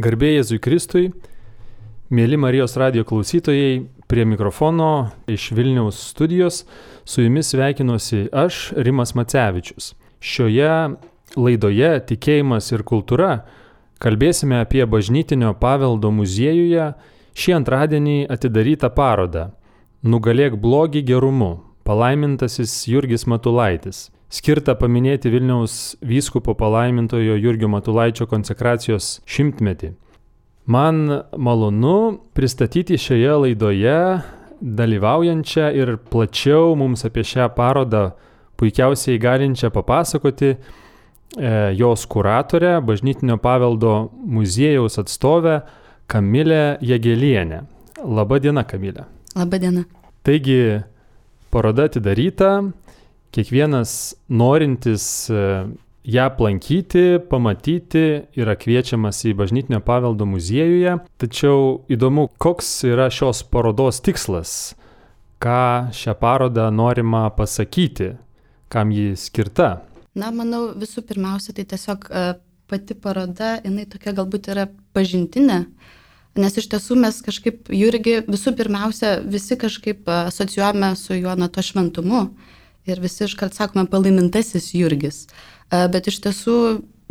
Garbė Jėzui Kristui, mėly Marijos radijo klausytojai, prie mikrofono iš Vilniaus studijos su jumis sveikinuosi aš, Rimas Macevičius. Šioje laidoje Tikėjimas ir kultūra kalbėsime apie bažnytinio paveldo muziejuje šį antradienį atidarytą parodą Nugalėk blogį gerumu, palaimintasis Jurgis Matulaitis, skirtą paminėti Vilniaus vyskupo palaimintojo Jurgio Matulaičio konsekracijos 100-metį. Man malonu pristatyti šioje laidoje dalyvaujančią ir plačiau mums apie šią parodą puikiausiai galinčią papasakoti jos kuratorę, bažnytinio paveldo muziejaus atstovę Kamilę Jagėlienę. Labą dieną, Kamilė. Labą dieną. Taigi, paroda atidaryta, kiekvienas norintis ją aplankyti, pamatyti yra kviečiamas į bažnytinio paveldo muziejuje. Tačiau įdomu, koks yra šios parodos tikslas, ką šią parodą norima pasakyti, kam ji skirta. Na, manau, visų pirmiausia, tai tiesiog pati paroda, jinai tokia galbūt yra pažintinė, nes iš tiesų mes kažkaip Jurgį visų pirmiausia visi kažkaip asocijuojame su juo nuo to šventumu ir visi iškart sakome palaimintasis Jurgis. Bet iš tiesų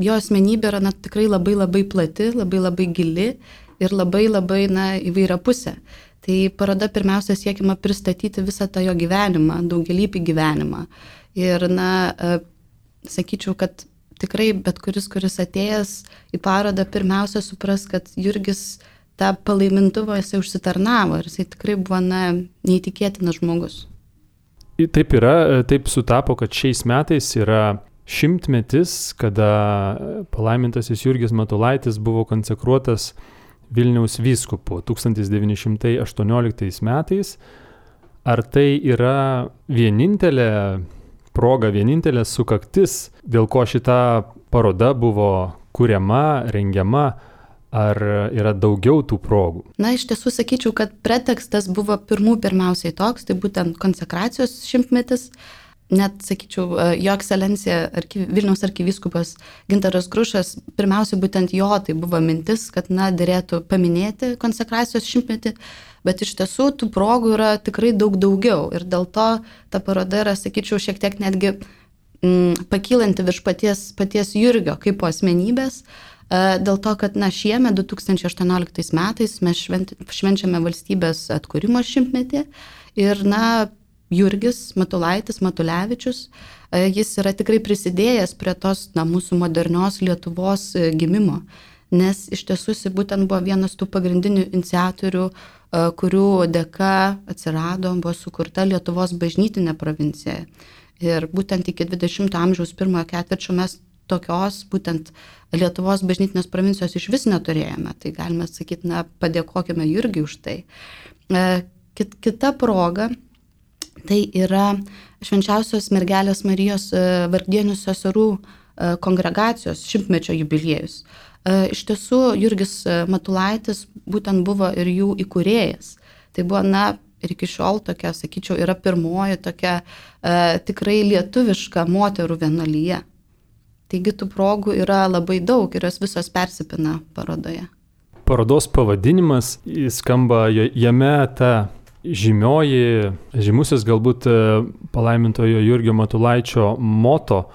jo asmenybė yra tikrai labai plati, labai gili ir labai įvairiapusė. Tai paroda pirmiausia siekiama pristatyti visą tą jo gyvenimą, daugialypį gyvenimą. Ir sakyčiau, kad tikrai bet kuris atėjęs į parodą pirmiausia supras, kad Jurgis tą palaimintuvą jisai užsitarnavo ir jisai tikrai buvo neįtikėtinas žmogus. Taip yra, taip sutapo, kad šiais metais yra 100-metis, kada palaimintasis Jurgis Matulaitis buvo konsekruotas Vilniaus vyskupu 1918 metais. Ar tai yra vienintelė proga, vienintelė sukaktis, dėl ko šita paroda buvo kuriama, rengiama? Ar yra daugiau tų progų? Na, iš tiesų sakyčiau, kad pretekstas buvo pirmiausiai toks, tai būtent konsekracijos 100-metis. Net, sakyčiau, jo ekscelencija Vilniaus arkivyskupas Gintaras Grušas, pirmiausia būtent jo tai buvo mintis, kad derėtų paminėti konsekracijos 100-metį, bet iš tiesų tų progų yra tikrai daug daugiau ir dėl to ta paroda yra, sakyčiau, šiek tiek netgi pakylanti virš paties Jurgio kaip po asmenybės. Dėl to, kad šiemet 2018 metais mes švenčiame valstybės atkūrimo 100-metį ir Jurgis Matulaitis, Matulevičius, jis yra tikrai prisidėjęs prie tos mūsų modernios Lietuvos gimimo, nes iš tiesų jis būtent buvo vienas tų pagrindinių iniciatorių, kurių dėka atsirado, buvo sukurta Lietuvos bažnytinė provincija. Ir būtent iki 20 amžiaus pirmojo ketvirčio mes tokios būtent Lietuvos bažnytinės provincijos iš vis neturėjome. Tai galime sakyti, padėkokime Jurgiui už tai. Kita proga, tai yra Švenčiausios mergelės Marijos vargdienių seserų kongregacijos 100-mečio jubiliejus. Iš tiesų, Jurgis Matulaitis būtent buvo ir jų įkūrėjas. Tai buvo, ir iki šiol tokia, sakyčiau, yra pirmoji tokia tikrai lietuviška moterų vienuolija. Taigi tų progų yra labai daug ir jos visos persipina parodoje. Parodos pavadinimas skamba jame ta žymusis galbūt palaimintojo Jurgio Matulaičio moto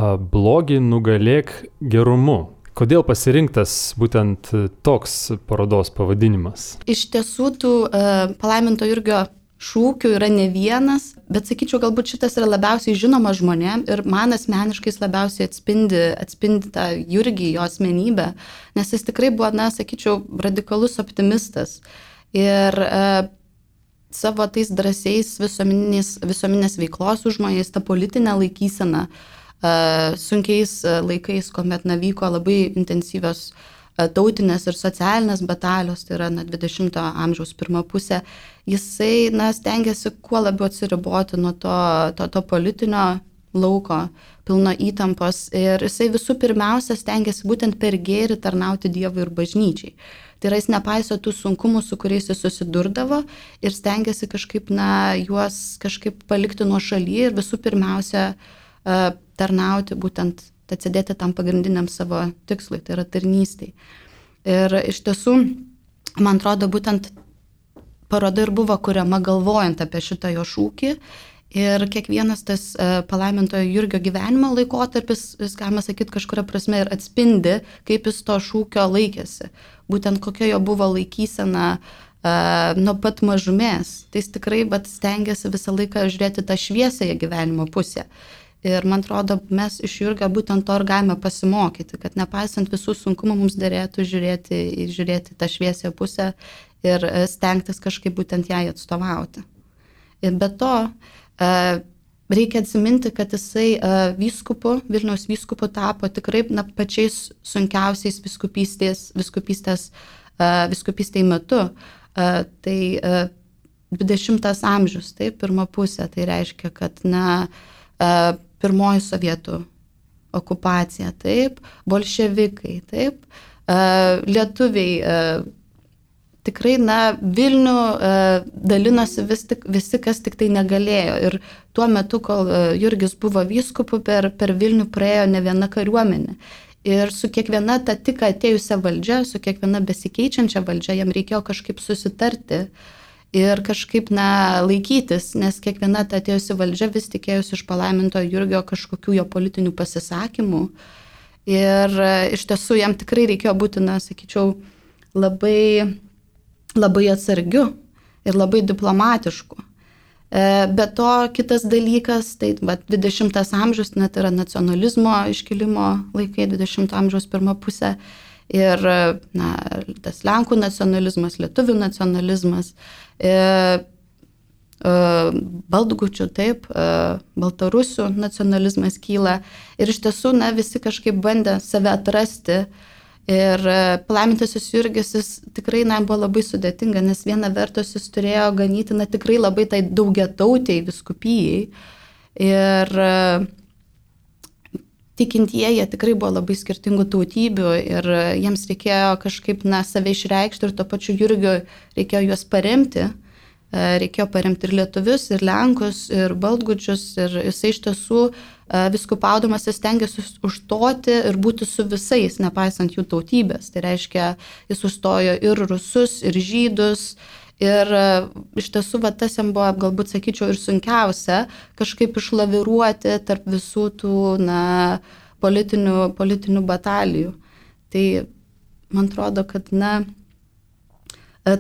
blogį nugalėk gerumu. Kodėl pasirinktas būtent toks parodos pavadinimas? Iš tiesų tų palaiminto Jurgio šūkių yra ne vienas, bet sakyčiau, galbūt šitas yra labiausiai žinomas žmonėm ir man asmeniškai labiausiai atspindi tą Jurgį, jo asmenybę, nes jis tikrai buvo, sakyčiau, radikalus optimistas. Ir savo tais drąsiais visuomeninės veiklos užmojais, tą politinę laikyseną, sunkiais laikais, kuomet vyko labai intensyvios tautinės ir socialinės batalijos, tai yra 20-ojo amžiaus pirma pusė, jisai stengiasi kuo labiau atsiriboti nuo to politinio lauko, pilno įtampos ir jisai visų pirmiausia stengiasi būtent per gėrį tarnauti Dievui ir bažnyčiai. Tai yra, jis nepaiso tų sunkumų, su kuriais jis susidurdavo ir stengiasi kažkaip, juos kažkaip palikti nuo šaly ir visų pirmiausia tarnauti būtent atsidėti tam pagrindiniam savo tikslui, tai yra tarnystei. Ir iš tiesų, man atrodo, būtent paroda ir buvo kuriama galvojant apie šitą jo šūkį. Ir kiekvienas tas palaimintojo Jurgio gyvenimo laikotarpis, jis, galima sakyti, kažkuria prasme ir atspindi, kaip jis to šūkio laikėsi. Būtent kokia jo buvo laikysena nuo pat mažumės. Tai jis tikrai stengiasi visą laiką žiūrėti tą šviesiąją gyvenimo pusę. Ir man atrodo, mes iš Jurgio būtent to ir galime pasimokyti, kad nepaisant visų sunkumų mums derėtų žiūrėti tą šviesiąją pusę ir stengtis kažkaip būtent jai atstovauti. Ir be to, reikia atsiminti, kad jisai Vilniaus vyskupu tapo tikrai pačiais sunkiausiais vyskupystėj metu. Tai 20 amžius, tai pirma pusė, tai reiškia, kad pirmoji sovietų okupacija, taip, bolševikai, taip, lietuviai. Tikrai, Vilnių dalinosi visi, kas tik tai negalėjo. Ir tuo metu, kol Jurgis buvo vyskupu, per Vilnių praėjo ne viena kariuomenė. Ir su kiekviena ta tik atėjusia valdžia, su kiekviena besikeičiančia valdžia, jam reikėjo kažkaip susitarti ir kažkaip laikytis, nes kiekviena ta atėjusi valdžia vis tikėjusi iš palaimintojo Jurgio kažkokių jo politinių pasisakymų. Ir iš tiesų jam tikrai reikėjo būti, sakyčiau, labai atsargiu ir labai diplomatišku. Be to, kitas dalykas, tai 20 amžius net yra nacionalizmo iškilimo laikai, 20 amžiaus pirma pusė. Ir tas Lenkų nacionalizmas, lietuvių nacionalizmas, baltgučių, taip, baltarusių nacionalizmas kyla. Ir iš tiesų, visi kažkaip bandė save atrasti. Ir palaimintasis Jurgis tikrai buvo labai sudėtinga, nes viena vertus jis turėjo ganyti tikrai labai tai daugiatautiai vyskupijai. Ir tikintieji tikrai buvo labai skirtingų tautybių ir jiems reikėjo kažkaip save išreikšti ir tuo pačiu Jurgiui reikėjo juos paremti. Reikėjo paremti ir lietuvius, ir lenkus, ir baltgučius. Ir jisai iš tiesų viskupaudamas jis stengiasi užstoti ir būti su visais, nepaisant jų tautybės. Tai reiškia, jis užstojo ir rusus, ir žydus. Ir iš tiesų tas jam buvo, galbūt sakyčiau, ir sunkiausia kažkaip išlaviruoti tarp visų tų politinių batalijų. Tai man atrodo, kad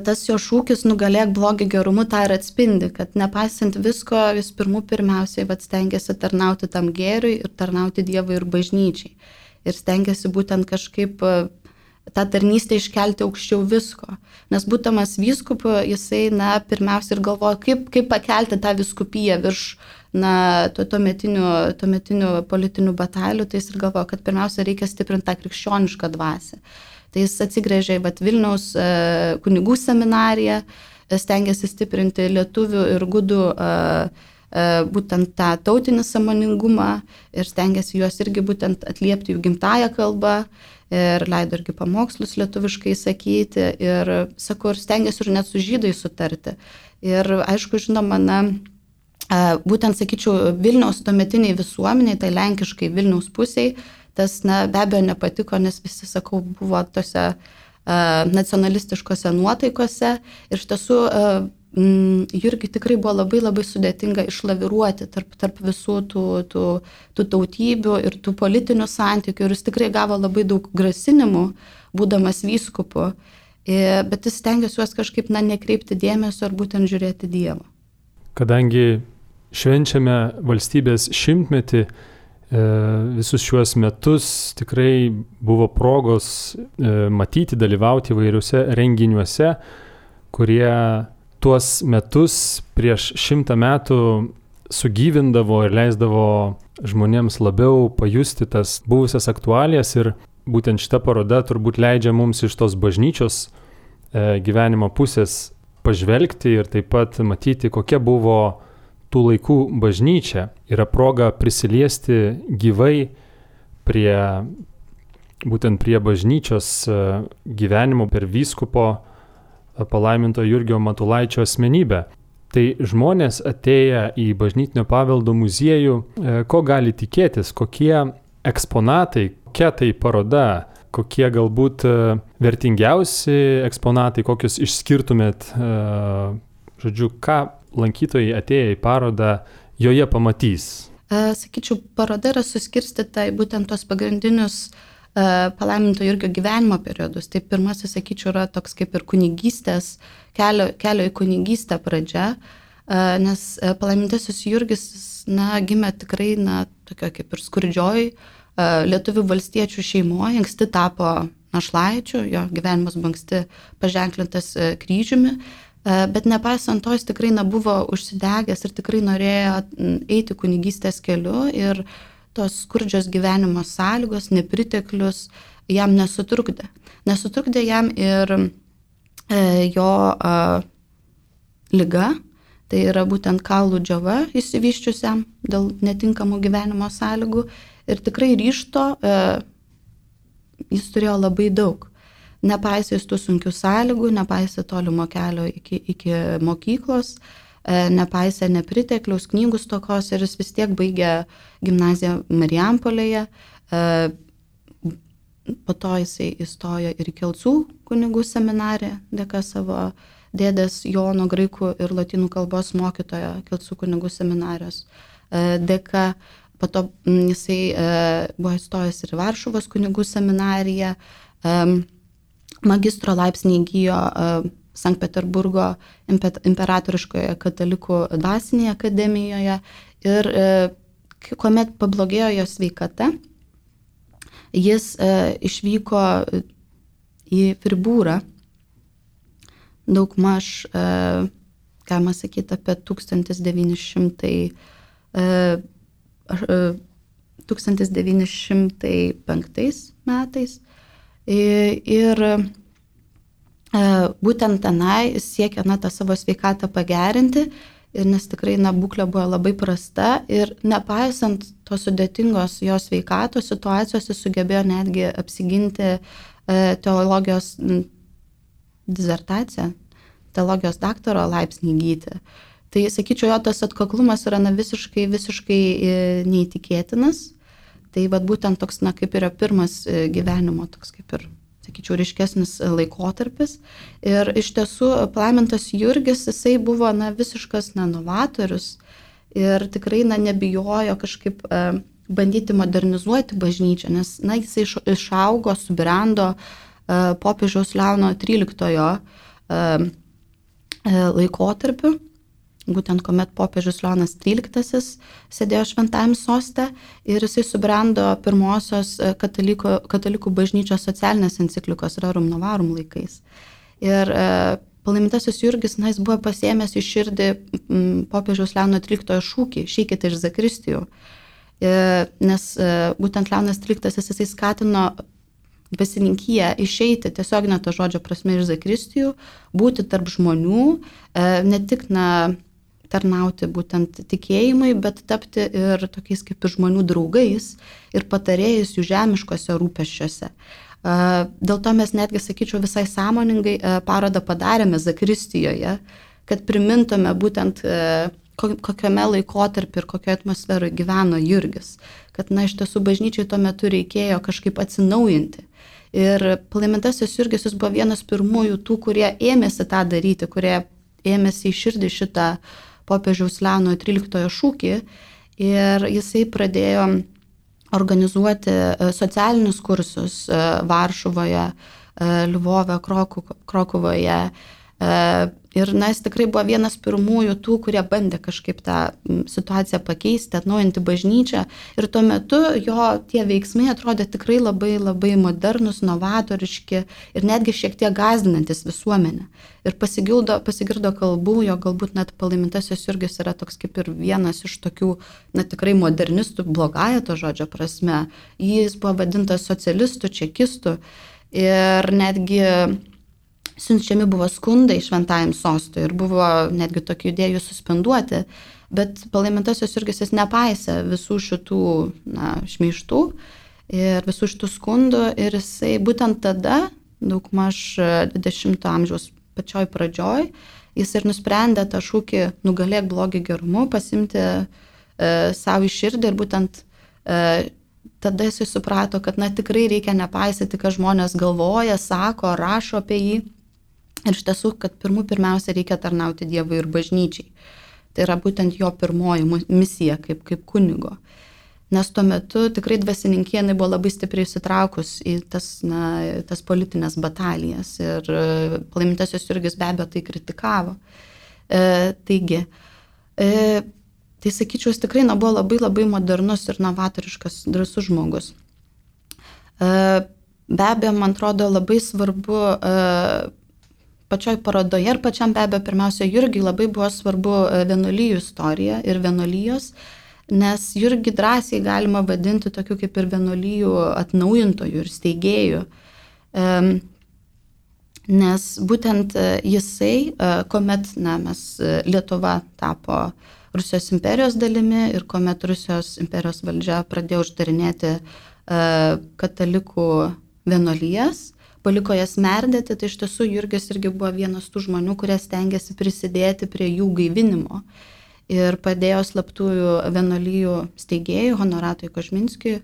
tas jo šūkis nugalėk blogį gerumu tą ir atspindi, kad nepaisant visko, jis pirmiausiai stengiasi tarnauti tam gėriui ir tarnauti Dievui ir bažnyčiai. Ir stengiasi būtent kažkaip tą tarnystę iškelti aukščiau visko. Nes būdamas vyskupu, jisai pirmiausia ir galvoja, kaip pakelti tą vyskupiją virš tuometinių politinių batalijų, tai jis ir galvoja, kad pirmiausia reikia stiprinti tą krikščionišką dvasią. Tai jis atsigręžė į Vilniaus kunigų seminariją, stengiasi stiprinti lietuvių ir gudų būtent tą tautinį sąmoningumą ir stengiasi juos irgi būtent atliepti jų gimtąją kalbą ir leido irgi pamokslus lietuviškai sakyti ir, sakau, ir stengiasi ir net su žydai sutarti. Ir aišku, žinoma, būtent, sakyčiau, Vilniaus tuometiniai visuomeniai, tai lenkiškai Vilniaus pusiai, tas be abejo nepatiko, nes visi, sakau, buvo tose nacionalistiškose nuotaikose ir iš tiesų Jurgiui tikrai buvo labai sudėtinga išlaviruoti tarp visų tų tautybių ir tų politinių santykių ir jis tikrai gavo labai daug grasinimų, būdamas vyskupu, bet jis stengiasi juos kažkaip nekreipti dėmesio ar būtent žiūrėti Dievą. Kadangi švenčiame valstybės 100-metį, visus šiuos metus tikrai buvo progos matyti, dalyvauti įvairiuose renginiuose, kurie tuos metus prieš 100 metų sugyvindavo ir leisdavo žmonėms labiau pajusti tas buvusias aktualijas ir būtent šita paroda turbūt leidžia mums iš tos bažnyčios gyvenimo pusės pažvelgti ir taip pat matyti, kokia buvo tų laikų bažnyčia. Yra proga prisiliesti gyvai būtent prie bažnyčios gyvenimo per vyskupo palaiminto Jurgio Matulaičio asmenybę. Tai žmonės atėję į bažnytinio paveldo muziejų, ko gali tikėtis, kokie eksponatai, kokia tai paroda, kokie galbūt vertingiausi eksponatai, kokius išskirtumėt, žodžiu, ką lankytojai atėję į parodą joje pamatys? Sakyčiau, paroda yra suskirstyta į būtent tos pagrindinius palaiminto Jurgio gyvenimo periodus. Tai pirmasis, sakyčiau, yra toks kaip ir kunigystės, kelio į kunigystę pradžia, nes palaimintasis Jurgis, gimė tikrai, tokia kaip ir skurdžioj lietuvių valstiečių šeimoje, anksti tapo našlaičiu, jo gyvenimas buvo anksti paženklintas kryžiumi, bet nepaisant to, jis tikrai buvo užsidegęs ir tikrai norėjo eiti kunigystės keliu ir tos skurdžios gyvenimo sąlygos, nepriteklius jam nesutrukdė. Nesutrukdė jam ir jo liga, tai yra būtent kaulų džiova išsivyščiusiam dėl netinkamų gyvenimo sąlygų ir tikrai ryžto jis turėjo labai daug. Nepaisė tų sunkių sąlygų, nepaisė tolimo kelio iki mokyklos, nepaisė nepritekliaus, knygų stokos ir jis vis tiek baigė gimnaziją Marijampolėje. Po to jisai įstojo ir į Kelcų kunigų seminariją, dėka savo dėdės Jono graikų ir lotynų kalbos mokytojo Kelcų kunigų seminarijos dėka. Po to jisai buvo įstojęs ir į Varšuvos kunigų seminariją. Magistro laipsnį įgijo Sankt Peterburgo imperatoriškoje katalikų dvasinėje akademijoje ir kuomet pablogėjo jo sveikata, jis išvyko į Fribūrą, daugmaž, galima sakyti, apie 1905 metais. Ir būtent tenai siekia tą savo sveikatą pagerinti, nes tikrai būklė buvo labai prasta ir nepaisant tos sudėtingos jo sveikatos situacijos, jis sugebėjo netgi apsiginti teologijos disertaciją, teologijos daktaro laipsnį įgyti. Tai, sakyčiau, jo tas atkaklumas yra visiškai neįtikėtinas. Tai būtent toks, kaip yra pirmas gyvenimo, toks kaip ir, sakyčiau, ryškesnis laikotarpis. Ir iš tiesų palaimintas Jurgis, jisai buvo visiškas novatorius ir tikrai nebijojo kažkaip bandyti modernizuoti bažnyčią, nes jisai išaugo, subrendo popiežiaus Leono XIII laikotarpiu. Būtent kuomet popiežius Leonas XIII sėdėjo šventajam soste ir jisai subrendo pirmosios katalikų bažnyčios socialinės enciklikos Rerum Novarum laikais. Ir palaimintasis Jurgis, jis buvo pasiėmęs į širdį popiežiaus Leono XIII šūkį "Išeikite iš zakristijų", nes būtent Leonas XIII jisai skatino dvasininkiją išeiti tiesioginę to žodžio prasme iš zakristijų, būti tarp žmonių, ne tik tarnauti būtent tikėjimui, bet tapti ir tokiais kaip ir žmonių draugais ir patarėjais jų žemiškose rūpesčiuose. Dėl to mes netgi, sakyčiau, visai sąmoningai parodą padarėme zakristijoje, kad primintume būtent kokiame laikotarpį ir kokioje atmosferoje gyveno Jurgis. Kad, iš tiesų, bažnyčiai tuo metu reikėjo kažkaip atsinaujinti. Ir palaimintasis Jurgis jis buvo vienas pirmųjų tų, kurie ėmėsi tą daryti, kurie ėmėsi į širdį šitą popiežiaus Leono XIII šūkį ir jisai pradėjo organizuoti socialinius kursus Varšuvoje, Lvove, Krokuvoje. Ir jis tikrai buvo vienas pirmųjų tų, kurie bandė kažkaip tą situaciją pakeisti, atnaujinti bažnyčią. Ir tuo metu jo tie veiksmai atrodė tikrai labai, labai modernus, novatoriški ir netgi šiek tiek gąsdinantis visuomenę. Ir pasigirdo kalbų, jo galbūt net palaimintasis Jurgis yra toks kaip ir vienas iš tokių, tikrai modernistų, blogąja to žodžio prasme. Jis buvo vadintas socialistų, čekistų ir netgi siunčiami buvo skundai šventajam sostui ir buvo netgi tokių idėjų suspenduoti, bet palaimintasis Jurgis jis nepaisė visų šitų šmeižtų ir visų šitų skundų ir jisai būtent tada, daugmaž 20 amžiaus pačioj pradžioj, jis ir nusprendė tą šūkį "Nugalėk blogį gerumu" pasimti savo į širdį ir būtent tada jisai suprato, kad tikrai reikia nepaisyti, ką žmonės galvoja, sako, rašo apie jį. Ir iš tiesų, kad pirmiausia reikia tarnauti Dievui ir bažnyčiai. Tai yra būtent jo pirmoji misija kaip kunigo. Nes tuo metu tikrai dvasininkija buvo labai stipriai įsitraukus į tas politinės batalijas. Ir palaimintasis Jurgis be abejo tai kritikavo. Tai sakyčiau, jis tikrai buvo labai labai modernus ir novatoriškas, drąsus žmogus. Be abejo, man atrodo, labai svarbu pačioj parodoje ir pačiam be abejo pirmiausia Jurgiui labai buvo svarbu vienuolijų istorija ir vienuolijos, nes Jurgį drąsiai galima vadinti tokiu kaip ir vienuolijų atnaujintojų ir steigėjų. Nes būtent jisai, kuomet Lietuva tapo Rusijos imperijos dalimi ir kuomet Rusijos imperijos valdžia pradėjo uždarinėti katalikų vienuolijas, paliko jas merdėti, tai iš tiesų Jurgis irgi buvo vienas tų žmonių, kurie stengiasi prisidėti prie jų gaivinimo ir padėjo slaptųjų vienuolijų steigėjų Honoratui Kožminskiui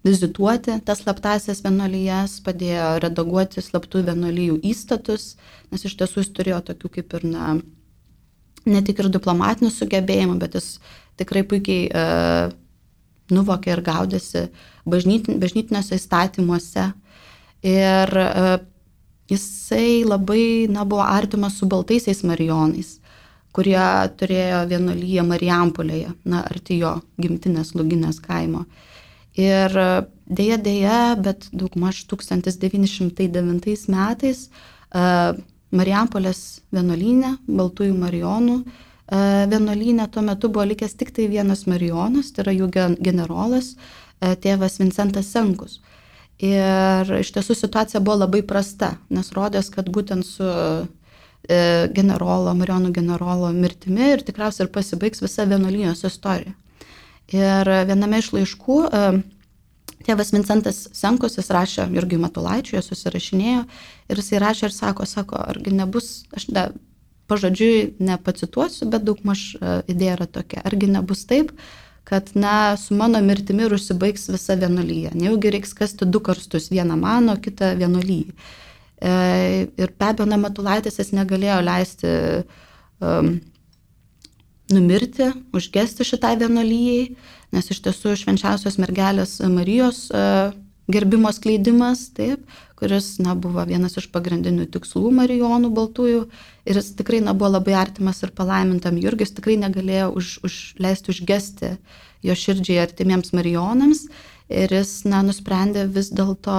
vizituoti tas slaptąsias vienuolijas, padėjo redaguoti slaptųjų vienuolijų įstatus, nes iš tiesų jis turėjo tokių kaip ir ne tik ir diplomatinių sugebėjimų, bet jis tikrai puikiai nuvokė ir gaudėsi bažnytiniuose įstatymuose. Ir jisai labai buvo artimas su baltaisiais marijonais, kurie turėjo vienuolyją Marijampolėje, arti jo gimtinės Luginės kaimo. Ir dėja, bet daugmaž 1909 metais Marijampolės vienuolyne, Baltųjų Marijonų vienuolyne tuo metu buvo likęs tik tai vienas marijonas, tai yra jų generolas, tėvas Vincentas Senkus. Ir iš tiesų situacija buvo labai prasta, nes rodės, kad būtent su marijonų generolo mirtimi ir tikriausiai ir pasibaigs visa vienuolijos istorija. Ir viename iš laiškų tėvas Vincentas Senkus, jis rašė Jurgiui Matulaičiui, jie susirašinėjo ir jisai rašė ir sako, argi nebus, aš pažodžiui nepacituosiu, bet daugmaž idėja yra tokia, argi nebus taip, kad su mano mirtimi ir užsibaigs visa vienuolyja. Nejaugi reiks kasti 2 karstus, vieną mano, kitą vienuolyjai. Ir be abejo, Matulaitis jis negalėjo leisti numirti, užgesti šitai vienuolyjai, nes iš tiesų švenčiausios mergelės Marijos gerbimo skleidimas, taip, kuris buvo vienas iš pagrindinių tikslų marijonų baltųjų ir jis tikrai buvo labai artimas ir palaimintam Jurgis, tikrai negalėjo leisti užgesti jo širdžiai artimiems marijonams ir jis nusprendė vis dėlto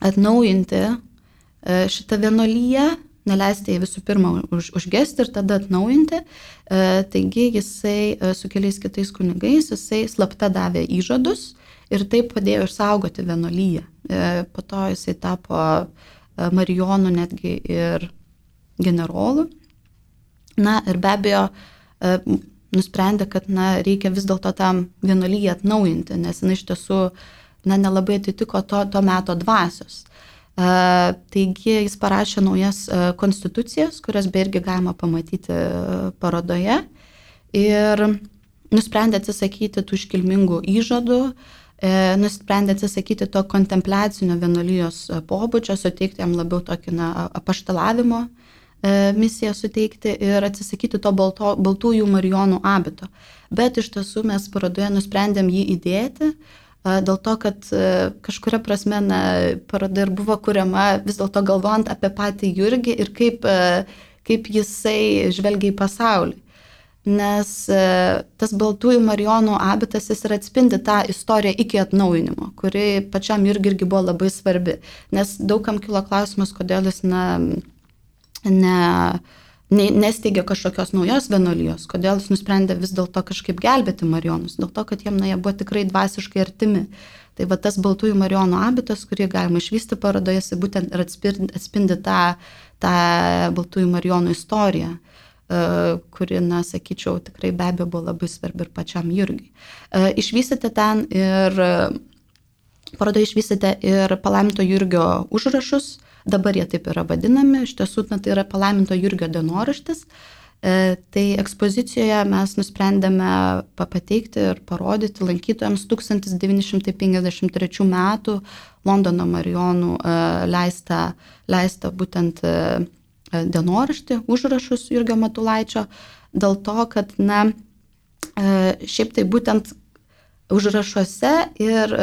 atnaujinti šitą vienuolyją, neleisti jai visų pirma užgesti ir tada atnaujinti. Taigi jisai su keliais kitais kunigais, jisai slapta davė įžadus ir taip padėjo išsaugoti vienuolyją. Po to jisai tapo marijonų netgi ir generolu. Ir be abejo nusprendė, kad reikia vis dėlto tam vienuolyją atnaujinti, nes jinai iš tiesų nelabai atitiko to meto dvasios. Taigi jis parašė naujas konstitucijas, kurias irgi galima pamatyti parodoje ir nusprendė atsisakyti tų iškilmingų įžadų, nusprendė atsisakyti to kontempliacinio vienuolijos pobūdžio, suteikti jam labiau tokį apaštalavimo misiją suteikti ir atsisakyti to baltųjų marijonų abito. Bet iš tiesų mes parodoje nusprendėm jį įdėti, dėl to, kad kažkuria prasme paroda ir buvo kuriama vis dėlto galvojant apie patį Jurgį ir kaip jisai žvelgia į pasaulį. Nes tas baltųjų marijonų abitas jis ir atspindi tą istoriją iki atnaujinimo, kuri pačiam Jurgiui irgi buvo labai svarbi. Nes daugam kilo klausimas, kodėl jis nesteigė kažkokios naujos vienuolijos, kodėl jis nusprendė vis dėlto kažkaip gelbėti marijonus, dėl to, kad jie buvo tikrai dvasiškai artimi. Tai va tas baltųjų marijonų abitas, kurį galima išvysti parodoje, jis būtent ir atspindi tą baltųjų marijonų istoriją, kuri, sakyčiau, tikrai be abejo buvo labai svarbi ir pačiam Jurgiui. Išvystėte ten ir parodoje išvystėte ir palaiminto Jurgio užrašus. Dabar jie taip yra vadinami, iš tiesų tai yra palaiminto Jurgio dienoraštis, Tai ekspozicijoje mes nusprendėme pateikti ir parodyti lankytojams 1953 metų Londono Marijonų leistą būtent dienoraštį, užrašus Jurgio Matulaičio, dėl to, kad, šiaip tai būtent užrašuose ir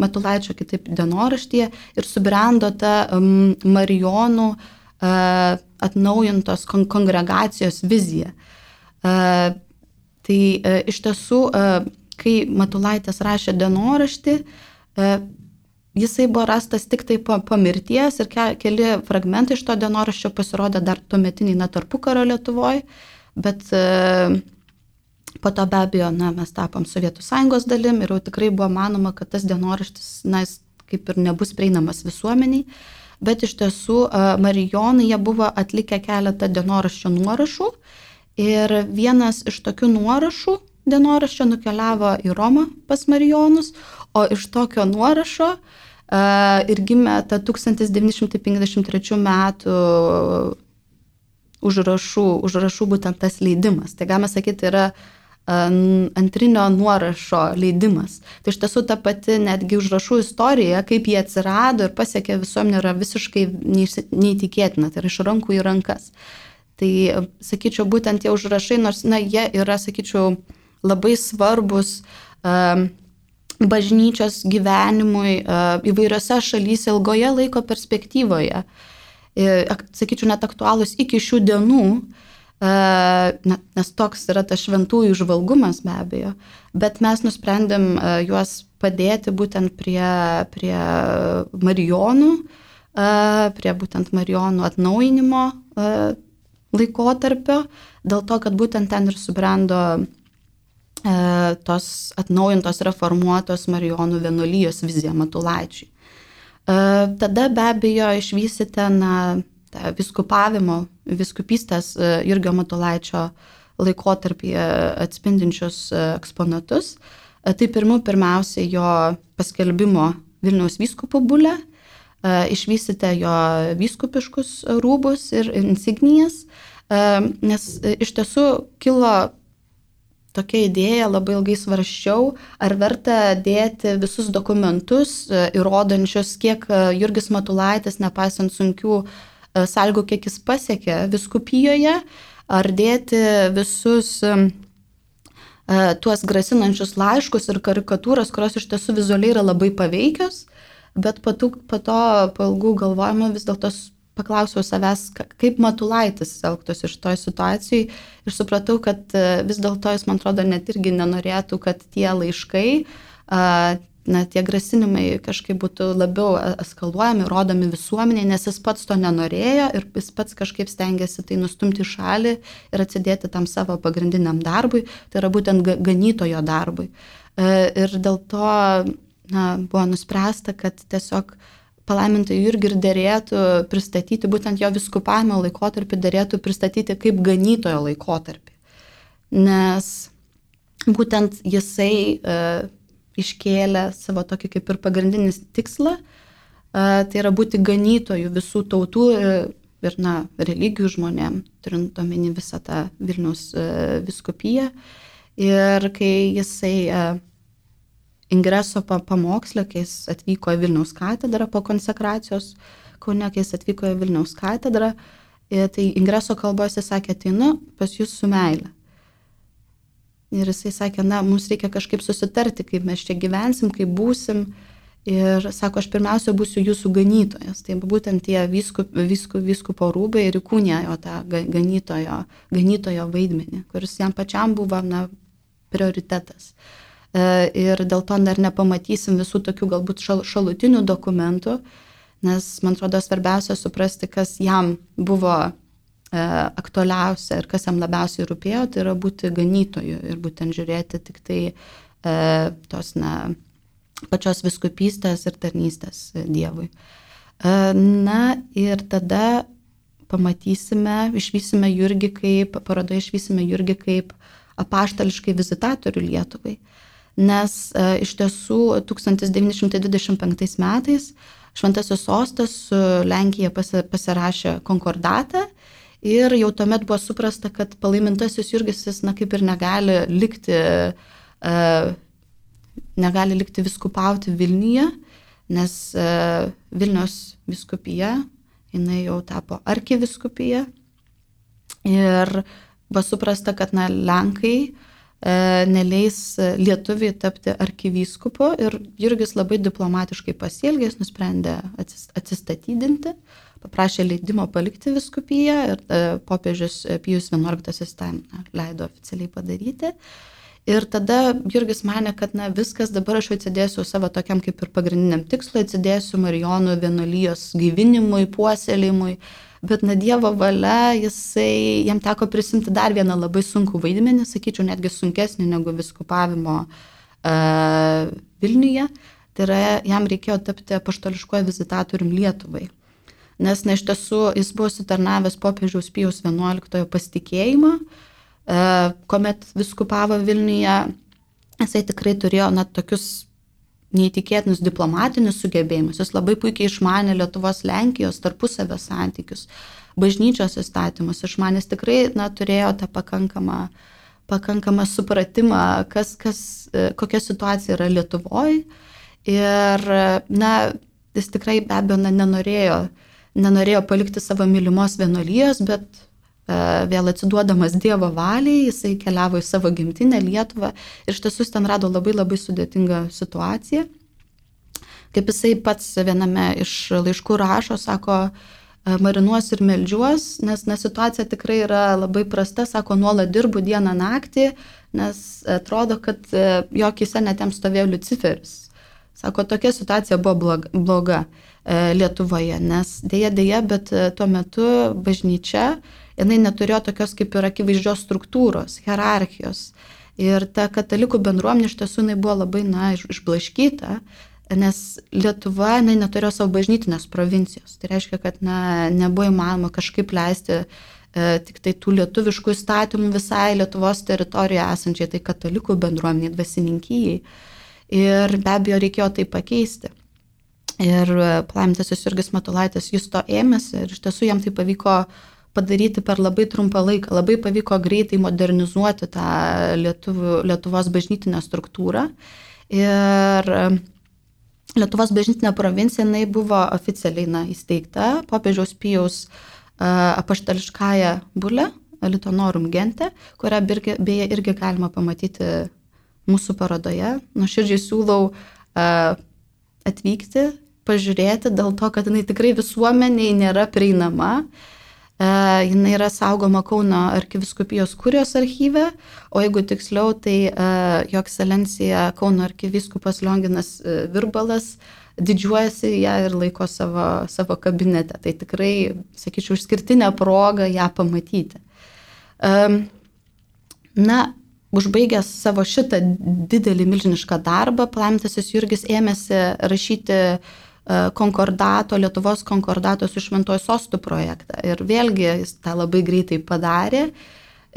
Matulaičio kitaip dienoraštyje ir subrendo ta Marijonų atnaujintos kongregacijos vizija. Tai iš tiesų, kai Matulaitis rašė dienoraštį, jisai buvo rastas tik tai po mirties ir keli fragmentai iš to dienoraščio pasirodė dar tuometiniai tarpukario Lietuvoje, bet po to be abejo, mes tapom Sovietų Sąjungos dalim ir jau tikrai buvo manoma, kad tas dienoraštis, jis kaip ir nebus prieinamas visuomeniai. Bet iš tiesų marijonai jie buvo atlikę keletą dienoraščio nuorašų ir vienas iš tokių nuorašų dienoraščio nukeliavo į Romą pas marijonus, o iš tokio nuorašo ir gimė ta 1953 metų užrašų būtent tas leidimas. Tai galima sakyti, yra antrinio nuorašo leidimas. Tai iš tiesų ta pati netgi užrašų istorija, kaip jie atsirado ir pasiekė visuomenę, yra visiškai neįtikėtina, tai yra iš rankų į rankas. Tai, sakyčiau, būtent tie užrašai, nors, jie yra, sakyčiau, labai svarbus bažnyčios gyvenimui įvairiose šalyse ilgoje laiko perspektyvoje. Sakyčiau, net aktualūs iki šių dienų, nes toks yra tas šventųjų žvalgumas be abejo, bet mes nusprendėm juos padėti būtent prie marijonų, prie būtent marijonų atnaujinimo laikotarpio, dėl to, kad būtent ten ir subrendo tos atnaujintos reformuotos marijonų vienuolijos vizija Matulaičiui. Tada be abejo išvysite tą viskupystės Jurgio Matulaičio laikotarpyje atspindinčius eksponatus. Tai pirmiausia jo paskelbimo Vilniaus vyskupo bulę, išvysite jo vyskupiškus rūbus ir insignijas, nes iš tiesų kilo tokia idėja, labai ilgai svarsčiau, ar verta dėti visus dokumentus, įrodančius, kiek Jurgis Matulaitis, nepaisant sunkių sąlygų, kiek jis pasiekė vyskupijoje, ar dėti visus tuos grasinančius laiškus ir karikatūras, kurios iš tiesų vizualiai yra labai paveikios, bet po to po ilgų galvojimo vis dėlto paklausiau savęs, kaip Matulaitis elgtųsi iš toj situacijai ir supratau, kad vis dėlto jis, man atrodo, net irgi nenorėtų, kad tie laiškai, tie grasinimai kažkaip būtų labiau eskaluojami, rodomi visuomeniai, nes jis pats to nenorėjo ir jis pats kažkaip stengiasi tai nustumti į šalį ir atsidėti tam savo pagrindiniam darbui, tai yra būtent ganytojo darbui. Ir dėl to buvo nuspręsta, kad tiesiog palaimintai Jurgį ir derėtų pristatyti, būtent jo vyskupavimo laikotarpį derėtų pristatyti kaip ganytojo laikotarpį. Nes būtent jisai iškėlė savo tokį kaip ir pagrindinį tikslą, tai yra būti ganytojų visų tautų ir religijų žmonėm, turint omeny visą tą Vilniaus vyskupiją. Ir kai jisai ingreso pamoksle, kai jis atvyko į Vilniaus katedrą po konsekracijos Kaune, kai jis atvyko į Vilniaus katedrą, tai ingreso kalbos jis sakė, ateinu pas jūs su meile. Ir jisai sakė, mums reikia kažkaip susitarti, kaip mes čia gyvensim, kaip būsim. Ir sako, aš pirmiausia būsiu jūsų ganytojas. Tai būtent tie vyskupo rūbai ir įkūnė jo tą ganytojo vaidmenį, kuris jam pačiam buvo prioritetas. Ir dėl to dar nepamatysim visų tokių galbūt šalutinių dokumentų, nes man atrodo svarbiausia suprasti, kas jam buvo aktualiausia ir kas jam labiausiai rūpėjo, tai yra būti ganytoju ir būtent žiūrėti tik tai tos pačios vyskupystės ir tarnystės Dievui. Ir tada išvysime Jurgį kaip apaštališkai vizitatorių Lietuvai. Nes iš tiesų 1925 metais Šventasis Sostas su Lenkija pasirašė konkordatą Ir jau tuomet buvo suprasta, kad palaimintasis Jurgis jis, kaip ir negali likti viskupauti Vilniuje, nes Vilniaus vyskupija, jinai jau tapo arkivyskupija. Ir buvo suprasta, kad Lenkai neleis lietuviai tapti arkivyskupu ir Jurgis labai diplomatiškai pasielgė, jis nusprendė atsistatydinti, paprašė leidimo palikti vyskupiją ir popiežius Pijus XI tam leido oficialiai padaryti. Ir tada Jurgis manė, kad viskas, dabar aš atsidėsiu savo tokiam kaip ir pagrindiniam tikslui, atsidėsiu Marijonų vienuolijos gyvinimui, puoselėjimui. Bet Dievo valia, jam teko prisimti dar vieną labai sunkų vaidmenį, sakyčiau, netgi sunkesnį negu viskupavimo Vilniuje. Tai yra, jam reikėjo tapti apaštališkuoju vizitatorium Lietuvai. Nes iš tiesų jis buvo sutarnavęs popiežiaus Pijaus XI pasitikėjimą, kuomet viskupavo Vilniuje. Jisai tikrai turėjo tokius neįtikėtinus diplomatinius sugebėjimus. Jis labai puikiai išmanė Lietuvos Lenkijos tarpusavio santykius, bažnyčios įstatymus. Išmanęs tikrai turėjo tą pakankamą supratimą, kokia situacija yra Lietuvoje. Ir jis tikrai be abejo nenorėjo palikti savo mylimos vienuolijos, bet vėl atsiduodamas Dievo valiai, jisai keliavo į savo gimtinę Lietuvą ir iš tiesų ten rado labai labai sudėtingą situaciją. Kaip jisai pats viename iš laiškų rašo, sako, marinuos ir meldžiuos, nes situacija tikrai yra labai prasta, sako, nuolat dirbu dieną naktį, nes atrodo, kad jo akyse net jam stovėjo Liuciferis. Sako, tokia situacija buvo bloga Lietuvoje, nes dėja, bet tuo metu bažnyčia jinai neturėjo tokios kaip ir akivaizdžios struktūros, hierarchijos. Ir ta katalikų bendruomenė iš tiesų jinai buvo labai išblaškyta, nes Lietuva neturėjo savo bažnytinės provincijos. Tai reiškia, kad nebuvo įmanoma kažkaip leisti tik tai tų lietuviškų įstatymų visai Lietuvos teritorijoje esančiai, tai katalikų bendruomeniai, dvasininkijai. Ir be abejo reikėjo tai pakeisti. Ir palaimintasis Jurgis Matulaitis jis to ėmėsi ir iš tiesų jam tai pavyko padaryti per labai trumpą laiką. Labai pavyko greitai modernizuoti tą Lietuvos bažnytinę struktūrą. Ir Lietuvos bažnytinė provincija jinai buvo oficialiai įsteigta popiežiaus Pijaus apaštališkąja bulė, Litonorum Gente, kurią beje irgi galima pamatyti mūsų parodoje. Nuoširdžiai siūlau atvykti, pažiūrėti, dėl to, kad jinai tikrai visuomeniai nėra prieinama. Jinai yra saugoma Kauno arkivyskupijos kurijos archyve, o jeigu tiksliau, tai jo ekscelencija Kauno arkivyskupas Lionginas Virbalas didžiuojasi ją ir laiko savo kabinete. Tai tikrai, sakyčiau, išskirtinė proga ją pamatyti. Užbaigęs savo šitą didelį milžinišką darbą, palaimintasis Jurgis ėmėsi rašyti Lietuvos konkordato su Šventuoju Sostu projektą. Ir vėlgi jis tą labai greitai padarė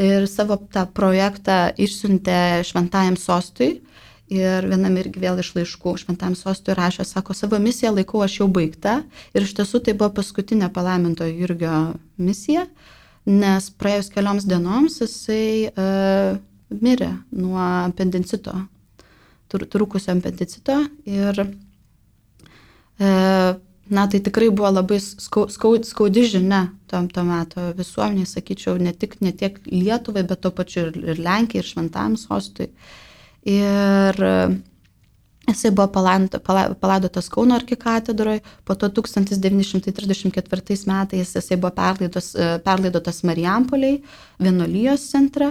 ir savo tą projektą išsiuntė Šventajam Sostui. Ir vienam irgi vėl iš laiškų Šventajam Sostui rašė, sako, savo misiją laikau aš jau baigta. Ir iš tiesų tai buvo paskutinė palaimintojo Jurgio misija, nes praėjus kelioms dienoms jisai mirė nuo apendicito, trūkusio apendicito. Ir tai tikrai buvo labai skaudi žinia to meto visuomeniai, sakyčiau, ne tiek Lietuvai, bet to pačiu ir Lenkijai, ir Šventajam Sostui. Ir jisai buvo palaidotas Kauno arkikatedroje, po to 1934 metais jisai buvo perlaidotas Marijampolėj, vienuolijos centre.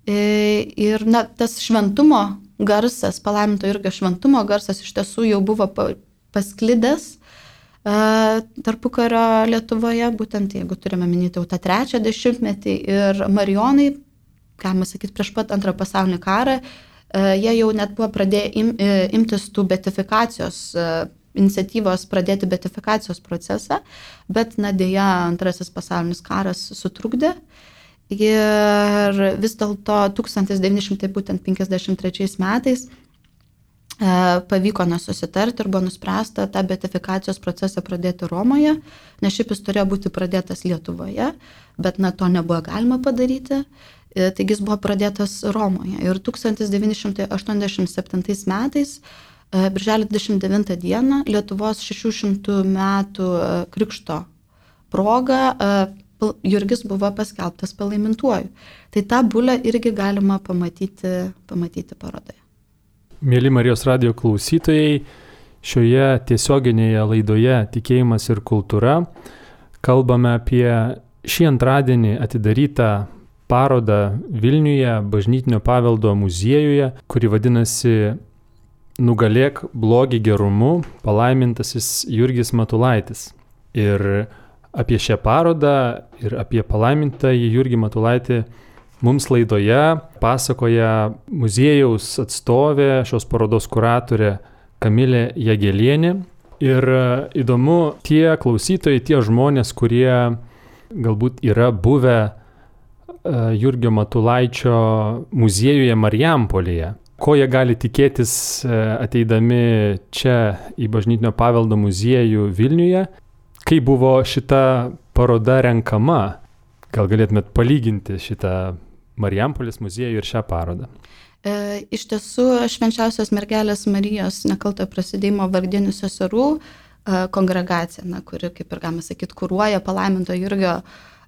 Ir tas šventumo garsas, palaiminto Jurgio šventumo garsas iš tiesų jau buvo pasklidęs tarpukario Lietuvoje, būtent jeigu turime minėti jau tą 3 dešimtmetį ir marijonai, galima sakyti, prieš pat Antrą pasaulinį karą, jie jau net buvo pradėję imtis tų beatifikacijos iniciatyvos, pradėti beatifikacijos procesą, bet dėja Antrasis pasaulinis karas sutrukdė. Ir vis dėlto 1953 metais pavyko nesusitarti ir buvo nuspręsta tą beatifikacijos procesą pradėti Romoje, nes šiaip jis turėjo būti pradėtas Lietuvoje, bet to nebuvo galima padaryti, taigi jis buvo pradėtas Romoje. Ir 1987 metais, birželio 29 dieną, Lietuvos 600 metų krikšto proga, Jurgis buvo paskelbtas palaimintuoju. Tai tą bulę irgi galima pamatyti parodoje. Mėly Marijos radijo klausytojai, šioje tiesioginėje laidoje Tikėjimas ir kultūra kalbame apie šį antradienį atidarytą parodą Vilniuje Bažnytinio paveldo muziejuje, kuri vadinasi Nugalėk blogį gerumu, palaimintasis Jurgis Matulaitis. Ir apie šią parodą ir apie palaimintąjį Jurgį Matulaitį mums laidoje pasakoja muziejaus atstovė, šios parodos kuratorė Kamilė Jagelienė. Ir įdomu, tie klausytojai, tie žmonės, kurie galbūt yra buvę Jurgio Matulaičio muziejuje Marijampolėje, ko jie gali tikėtis ateidami čia į Bažnytinio paveldo muziejų Vilniuje, kai buvo šita paroda renkama. Gal galėtumėt palyginti šitą Marijampolės muziejų ir šią parodą? Iš tiesų, Švenčiausios mergelės Marijos nekaltojo prasidėjimo vargdienių seserų kongregacija, kuri, kaip ir galima sakyti, kuruoja palaiminto Jurgio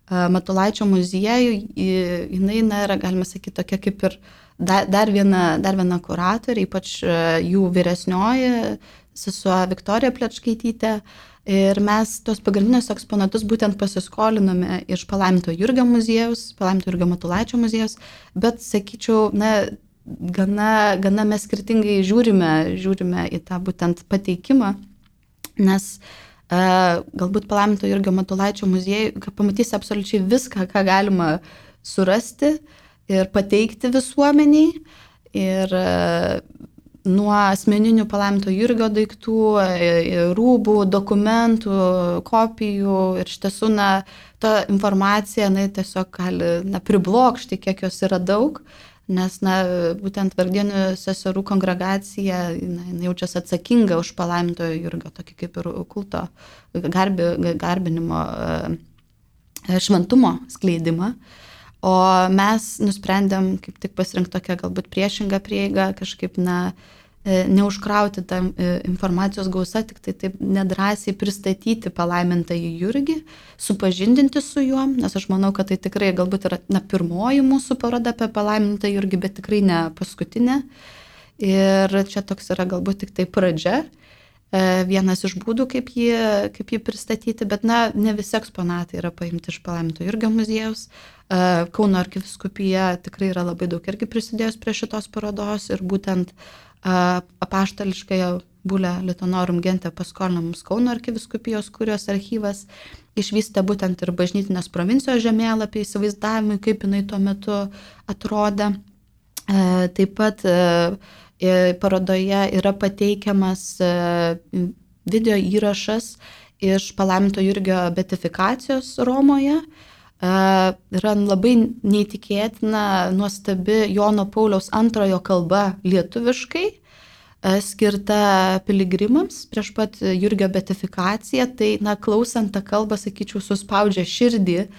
Matulaičio muziejų, jinai yra, galima sakyti, tokia kaip ir dar viena kuratorė, ypač jų vyresnioji sesuo Viktorija Plečkaitytė. Ir mes tos pagrindinius eksponatus būtent pasiskolinome iš palaiminto Jurgio muziejaus, palaiminto Jurgio Matulaičio muziejaus, bet, sakyčiau, gana mes skirtingai žiūrime į tą būtent pateikimą, nes galbūt palaiminto Jurgio Matulaičio muziejui pamatysi absoliučiai viską, ką galima surasti ir pateikti visuomeniai. Ir nuo asmeninių palaiminto Jurgio daiktų, rūbų, dokumentų, kopijų ir iš tiesų ta informacija tiesiog gali priblokšti, kiek jos yra daug, nes būtent vargdienių seserų kongregacija jaučiasi atsakinga už palaimintojo Jurgio, tokį kaip ir kulto garbinimo šventumo skleidimą. O mes nusprendėm kaip tik pasirinkti tokią galbūt priešingą prieigą, kažkaip neužkrauti tą informacijos gausą, tik tai taip nedrąsiai pristatyti palaimintąjį Jurgį, supažindinti su juo, nes aš manau, kad tai tikrai galbūt yra pirmoji mūsų paroda apie palaimintą Jurgį, bet tikrai ne paskutinė. Ir čia toks yra galbūt tik tai pradžia, vienas iš būdų, kaip jį pristatyti, bet ne visi eksponatai yra paimti iš palaiminto Jurgio muziejaus. Kauno arkivyskupija tikrai yra labai daug irgi prisidėjus prie šitos parodos ir būtent apaštališkąją bulę Litonorum Gente paskolino mums Kauno arkivyskupijos kurijos archyvas, išvystė būtent ir bažnytinės provincijos žemėlapį įsivaizdavimui, kaip jinai tuo metu atrodė. Taip pat parodoje yra pateikiamas video įrašas iš palaiminto Jurgio beatifikacijos Romoje. Yra labai neįtikėtina, nuostabi Jono Pauliaus II kalba lietuviškai, skirta piligrimams prieš pat Jurgio beatifikaciją. Tai, klausant tą kalbą, sakyčiau, suspaudžia širdį,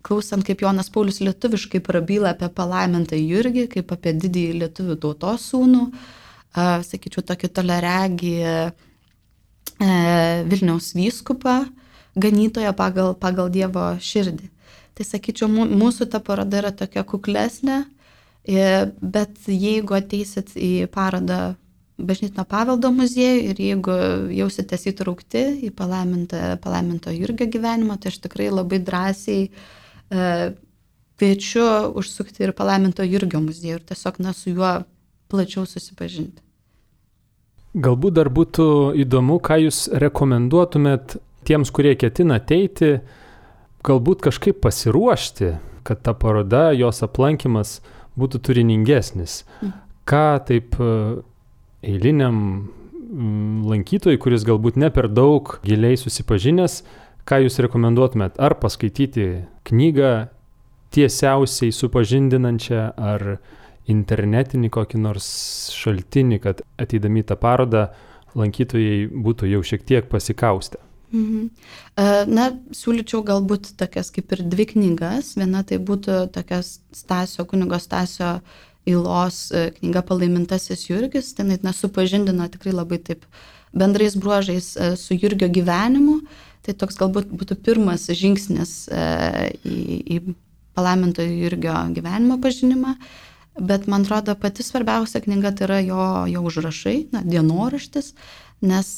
klausant, kaip Jonas Paulius lietuviškai prabyla apie palaimintą Jurgį, kaip apie didįjį lietuvių tautos sūnų, sakyčiau, tokį toleregį Vilniaus vyskupą, ganytoją pagal Dievo širdį. Tai, sakyčiau, mūsų ta paroda yra tokia kuklesnė, bet jeigu ateisit į parodą Bažnytinio paveldo muziejų ir jeigu jausitės įtraukti į palaiminto Jurgio gyvenimą, tai aš tikrai labai drąsiai kviečiu užsukti ir palaiminto Jurgio muziejų ir tiesiog su juo plačiau susipažinti. Galbūt dar būtų įdomu, ką jūs rekomenduotumėt tiems, kurie ketina ateiti, galbūt kažkaip pasiruošti, kad ta paroda, jos aplankymas būtų turiningesnis. Ką taip eiliniam lankytojui, kuris galbūt ne per daug giliai susipažinęs, ką jūs rekomenduotumėt? Ar paskaityti knygą tiesiausiai supažindinančią, ar internetinį kokį nors šaltinį, kad ateidami tą parodą lankytojai būtų jau šiek tiek pasikaustę? Na, siūlyčiau galbūt tokias kaip ir 2 knygas. Viena tai būtų tokias kunigo Stasio Ylos knyga Palaimintasis Jurgis. Ten supažindina tikrai labai taip bendrais bruožais su Jurgio gyvenimu. Tai toks galbūt būtų pirmas žingsnis į palaimintojo Jurgio gyvenimo pažinimą. Bet man atrodo, pati svarbiausia knyga tai yra jo užrašai, dienoraštis, nes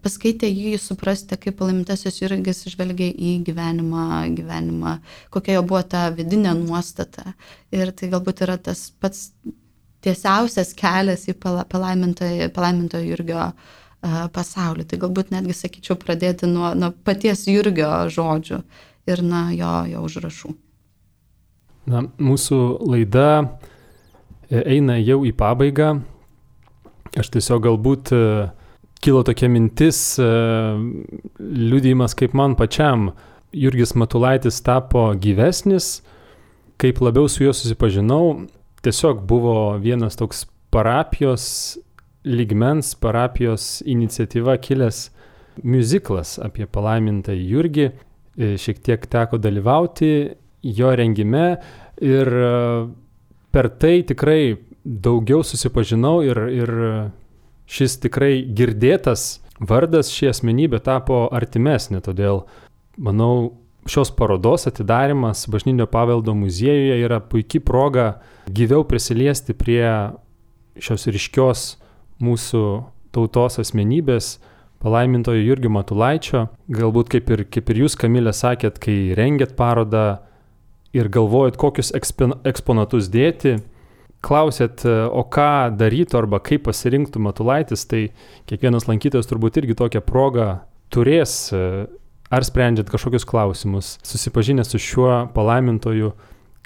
paskaitę jį suprasti, kaip palaimintasis Jurgis žvelgia į gyvenimą, kokia jo buvo ta vidinė nuostata. Ir tai galbūt yra tas pats tiesiausias kelias į palaimintojo Jurgio pasaulį. Tai galbūt netgi sakyčiau pradėti nuo paties Jurgio žodžių ir nuo jo užrašų. Na, mūsų laida eina jau į pabaigą. Aš tiesiog galbūt kilo tokia mintis, liudijimas kaip man pačiam. Jurgis Matulaitis tapo gyvesnis, kaip labiau su juo susipažinau. Tiesiog buvo vienas toks parapijos lygmens, parapijos iniciatyva kilęs miuziklas apie palaimintąjį Jurgį. Šiek tiek teko dalyvauti jo rengime ir per tai tikrai daugiau susipažinau ir šis tikrai girdėtas vardas, ši asmenybė tapo artimesnė. Todėl, manau, šios parodos atidarimas Bažnytinio paveldo muziejuje yra puikia proga gyviau prisiliesti prie šios ryškios mūsų tautos asmenybės, palaimintojo Jurgio Matulaičio. Galbūt kaip ir jūs, Kamilė, sakėt, kai rengėt parodą ir galvojat, kokius eksponatus dėti, klausėt, o ką darytų arba kaip pasirinktų Matulaitis, tai kiekvienas lankytojas turbūt irgi tokią progą turės, ar sprendžiant kažkokius klausimus, susipažinęs su šiuo palaimintoju,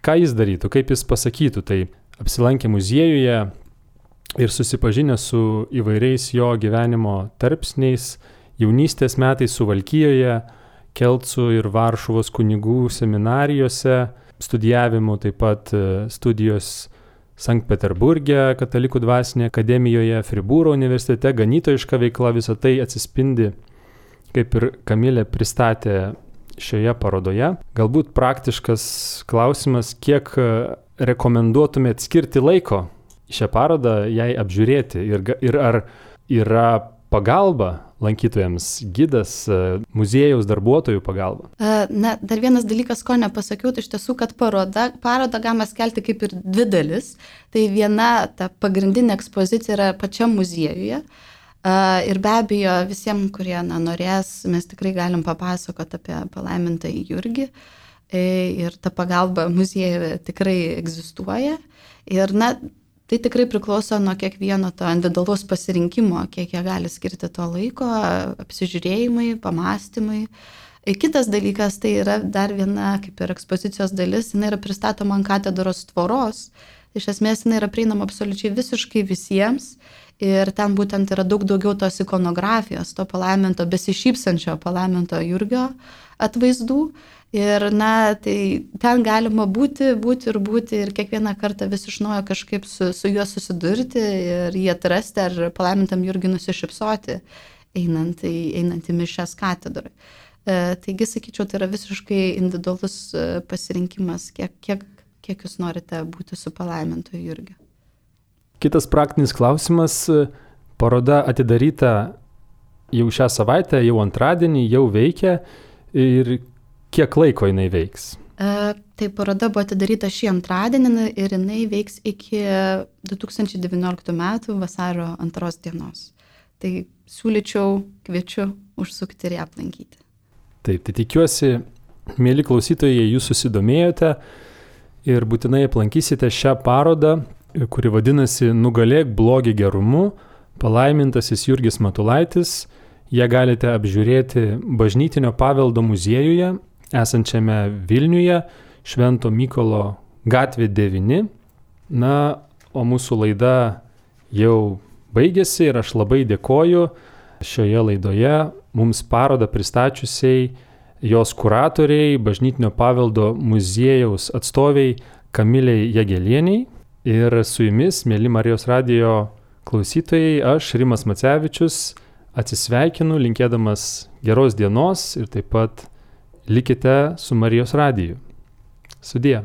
ką jis darytų, kaip jis pasakytų. Tai apsilankę muziejuje ir susipažinę su įvairiais jo gyvenimo tarpsniais, jaunystės metais Suvalkijoje, Kelcų ir Varšuvos kunigų seminarijose, studijavimu, taip pat studijos Sankt Peterburge, Katalikų dvasinėje akademijoje, Fribūro universitete, ganytojiška veikla, visą tai atsispindi, kaip ir Kamilė pristatė šioje parodoje. Galbūt praktiškas klausimas, kiek rekomenduotumėt skirti laiko šią parodą jai apžiūrėti ir ar yra pagalba lankytojams, gidas, muziejaus darbuotojų pagalba? Na, dar vienas dalykas, ko nepasakiau, tai iš tiesų, kad parodą galima skelti kaip ir 2 dalis. Tai viena, ta pagrindinė ekspozicija yra pačiam muziejuje. Ir be abejo, visiems, kurie norės, mes tikrai galim papasakoti apie palaimintąjį Jurgį. Ir ta pagalba muziejuje tikrai egzistuoja. Ir tai tikrai priklauso nuo kiekvieno to individualaus pasirinkimo, kiek jie gali skirti to laiko, apsižiūrėjimai, pamastymai. Kitas dalykas, tai yra dar viena kaip ir ekspozicijos dalis, jinai yra pristatoma ant katedros tvoros. Iš esmės, jinai yra prieinama absoliučiai visiškai visiems ir ten būtent yra daug daugiau tos ikonografijos, to palaiminto, besišypsančio palaiminto Jurgio atvaizdų. Ir tai ten galima būti ir kiekvieną kartą vis iš naujo kažkaip su juo susidurti ir jį atrasti ar palaimintam Jurgiui nusišypsoti, einant į mišias katedroje. Taigi, sakyčiau, tai yra visiškai individualus pasirinkimas, kiek jūs norite būti su palaimintoju Jurgiu. Kitas praktinis klausimas. Paroda atidaryta jau šią savaitę, jau antradienį, jau veikia ir kiek laiko jinai veiks? Tai paroda buvo atidaryta šį antradienį ir jinai veiks iki 2019 metų vasario 2 dienos. Tai siūlyčiau, kviečiu užsukti ir ją aplankyti. Taip, tai tikiuosi, mėly klausytojai, jūs susidomėjote ir būtinai aplankysite šią parodą, kuri vadinasi Nugalėk blogį gerumu, palaimintasis Jurgis Matulaitis. Ją galite apžiūrėti Bažnytinio paveldo muziejuje, esančiame Vilniuje, Švento Mykolo gatvė 9. Na, o mūsų laida jau baigėsi ir aš labai dėkoju šioje laidoje mums parodą pristačiusiai jos kuratoriai, Bažnytinio paveldo muziejaus atstoviai Kamilei Jagelieniai. Ir su jumis, mėly Marijos radijo klausytojai, aš, Rimas Macevičius, atsisveikinu, linkėdamas geros dienos ir taip pat likite su Marijos radiju. Sudie.